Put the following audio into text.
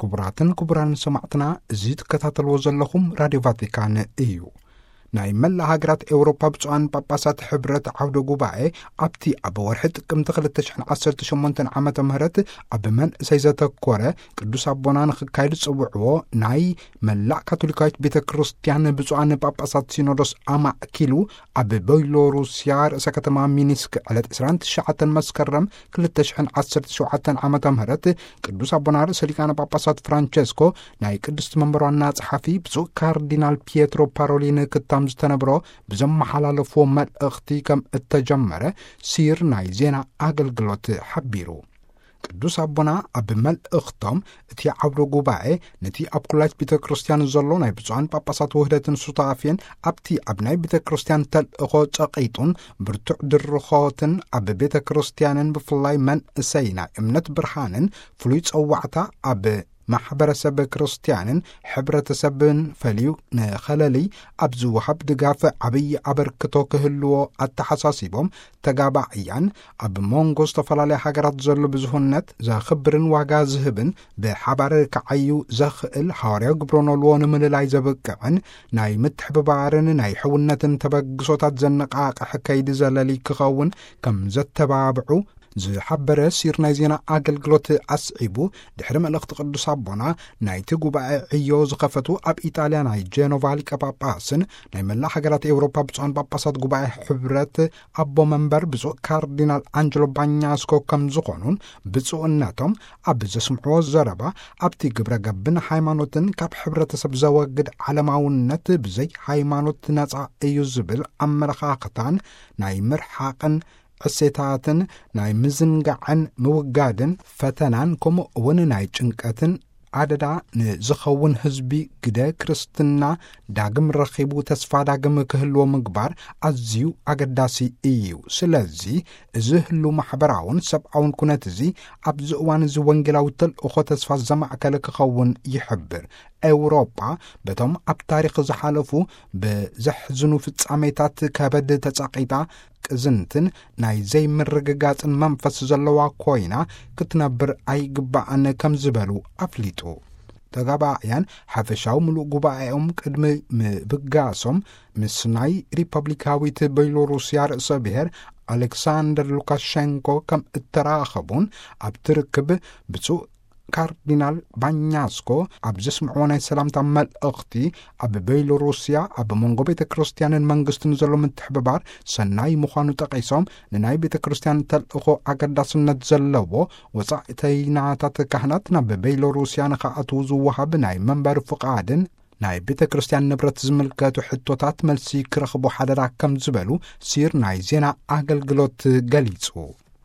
ክቡራትን ክቡራን ሰማዕትና፣ እዚ ትከታተልዎ ዘለኹም ራድዮ ቫቲካን እዩ። ናይ መላእ ሃገራት ኤውሮጳ ብፁዓን ጳጳሳት ሕብረት ዓውደ ጉባኤ ኣብቲ ኣብ ወርሒ ጥቅምቲ ክልተ ሽሕን ዓሰርተ ሸሞንተን ዓመተ ምህረት ኣብ መንእሰይ ዘተኮረ ቅዱስ ኣቦና ንኽካየድ ዝጽውዕዎ ናይ መላእ ካቶሊካዊት ቤተ ክርስቲያን ብፁዓን ጳጳሳት ሲኖዶስ ኣማእኪሉ ኣብ ቤሎሩስያ ርእሰ ከተማ ሚኒስክ ዕለት ዕስራን ትሽዓተን መስከረም ክልተ ሽሕን ዓሰርተ ሸውዓተን ዓመተ ምህረት ቅዱስ ኣቦና ርእሰ ሊቃነ ጳጳሳት ፍራንቸስኮ ናይ ቅድስቲ መንበር ዋና ጸሓፊ ብፁዕ ካርዲናል ፒየትሮ ፓሮሊን ክታም ዝተነብሮ ብዘመሓላለፍዎ መልእኽቲ ከም እተጀመረ ሲር ናይ ዜና ኣገልግሎት ሓቢሩ። ቅዱስ ኣቦና ኣብ መልእኽቶም እቲ ዓውደ ጉባኤ ነቲ ኣብ ኩላይት ቤተ ክርስቲያን ዘሎ ናይ ብፁዓን ጳጳሳት ውህደትን ሱታፌን ኣብቲ ኣብ ናይ ቤተ ክርስቲያን ተልእኾ ጸቒጡን ብርቱዕ ድርኾትን ኣብ ቤተ ክርስቲያንን ብፍላይ መንእሰይ ናይ እምነት ብርሃንን ፍሉይ ጸዋዕታ ኣብ ማሕበረሰብ ክርስቲያንን ሕብረተሰብን ፈልዩ ንኸለልይ ኣብ ዝወሃብ ድጋፍ ዓብዪ ኣበርክቶ ክህልዎ ኣተሓሳሲቦም፣ ተጋባእያን ኣብ መንጎ ዝተፈላለያ ሃገራት ዘሎ ብዙህነት ዘኽብርን ዋጋ ዝህብን ብሓባር ክዓዩ ዘኽእል ሃዋርያዊ ግብረ ኖልዎ ንምልላይ ዘብቅዕን ናይ ምትሕብባርን ናይ ሕውነትን ተበግሶታት ዘነቃቕሕ ከይዲ ዘለሊ ክኸውን ከም ዘተባብዑ ዝሓበረ ሲር ናይ ዜና ኣገልግሎት ኣስዒቡ፣ ድሕሪ መልእኽቲ ቅዱስ ኣቦና ናይቲ ጉባኤ ዕዮ ዝኸፈቱ ኣብ ኢጣልያ ናይ ጀኖቫ ሊቀ ጳጳስን ናይ መላእ ሃገራት ኤውሮፓ ብፁዓን ጳጳሳት ጉባኤ ሕብረት ኣቦ መንበር ብፁዕ ካርዲናል ኣንጀሎ ባኛስኮ ከም ዝኾኑን ብፁዕነቶም ኣብ ዘስምዕዎ ዘረባ ኣብቲ ግብረ ገብን ሃይማኖትን ካብ ሕብረተሰብ ዘወግድ ዓለማውነት ብዘይ ሃይማኖት ነጻ እዩ ዝብል ኣመለኻኽታን ናይ ምርሓቕን ዕሴታትን ናይ ምዝንጋዕን ምውጋድን ፈተናን ከምኡ እውን ናይ ጭንቀትን ኣደዳ ንዝኸውን ህዝቢ ግደ ክርስትና ዳግም ረኺቡ ተስፋ ዳግም ክህልዎ ምግባር ኣዝዩ ኣገዳሲ እዩ። ስለዚ እዚ ህሉ ማሕበራውን ሰብኣውን ኩነት እዚ ኣብዚ እዋን እዚ ወንጌላዊ ተልእኾ ተስፋ ዘማእከለ ክኸውን ይሕብር። ኤውሮጳ በቶም ኣብ ታሪኽ ዝሓለፉ ብዘሕዝኑ ፍጻሜታት ከበድ ተጻቒጣ ቅዝንትን ናይ ዘይምርግጋጽን መንፈስ ዘለዋ ኮይና ክትነብር ኣይግባእን ከም ዝበሉ ኣፍሊጡ። ተጋባእያን ሓፈሻዊ ምሉእ ጉባኤኦም ቅድሚ ምብጋሶም ምስ ናይ ሪፐብሊካዊት ቤሎሩስያ ርእሰ ብሔር ኣሌክሳንደር ሉካሸንኮ ከም እተራኸቡን ኣብቲ ርክብ ብፁዕ ካርዲናል ባኛስኮ ኣብ ዘስምዕዎ ናይ ሰላምታ መልእኽቲ ኣብ ቤሎሩስያ ኣብ መንጎ ቤተ ክርስቲያንን መንግስትን ዘሎ ምትሕብባር ሰናይ ምዃኑ ጠቒሶም፣ ንናይ ቤተ ክርስቲያን ተልእኾ ኣገዳስነት ዘለዎ ወጻእተይናታት ካህናት ናብ ቤሎሩስያ ንኽኣትዉ ዝወሃብ ናይ መንበሪ ፍቓድን ናይ ቤተ ክርስቲያን ንብረት ዝምልከቱ ሕቶታት መልሲ ክረኽቡ ሓደራ ከም ዝበሉ ሲር ናይ ዜና ኣገልግሎት ገሊጹ።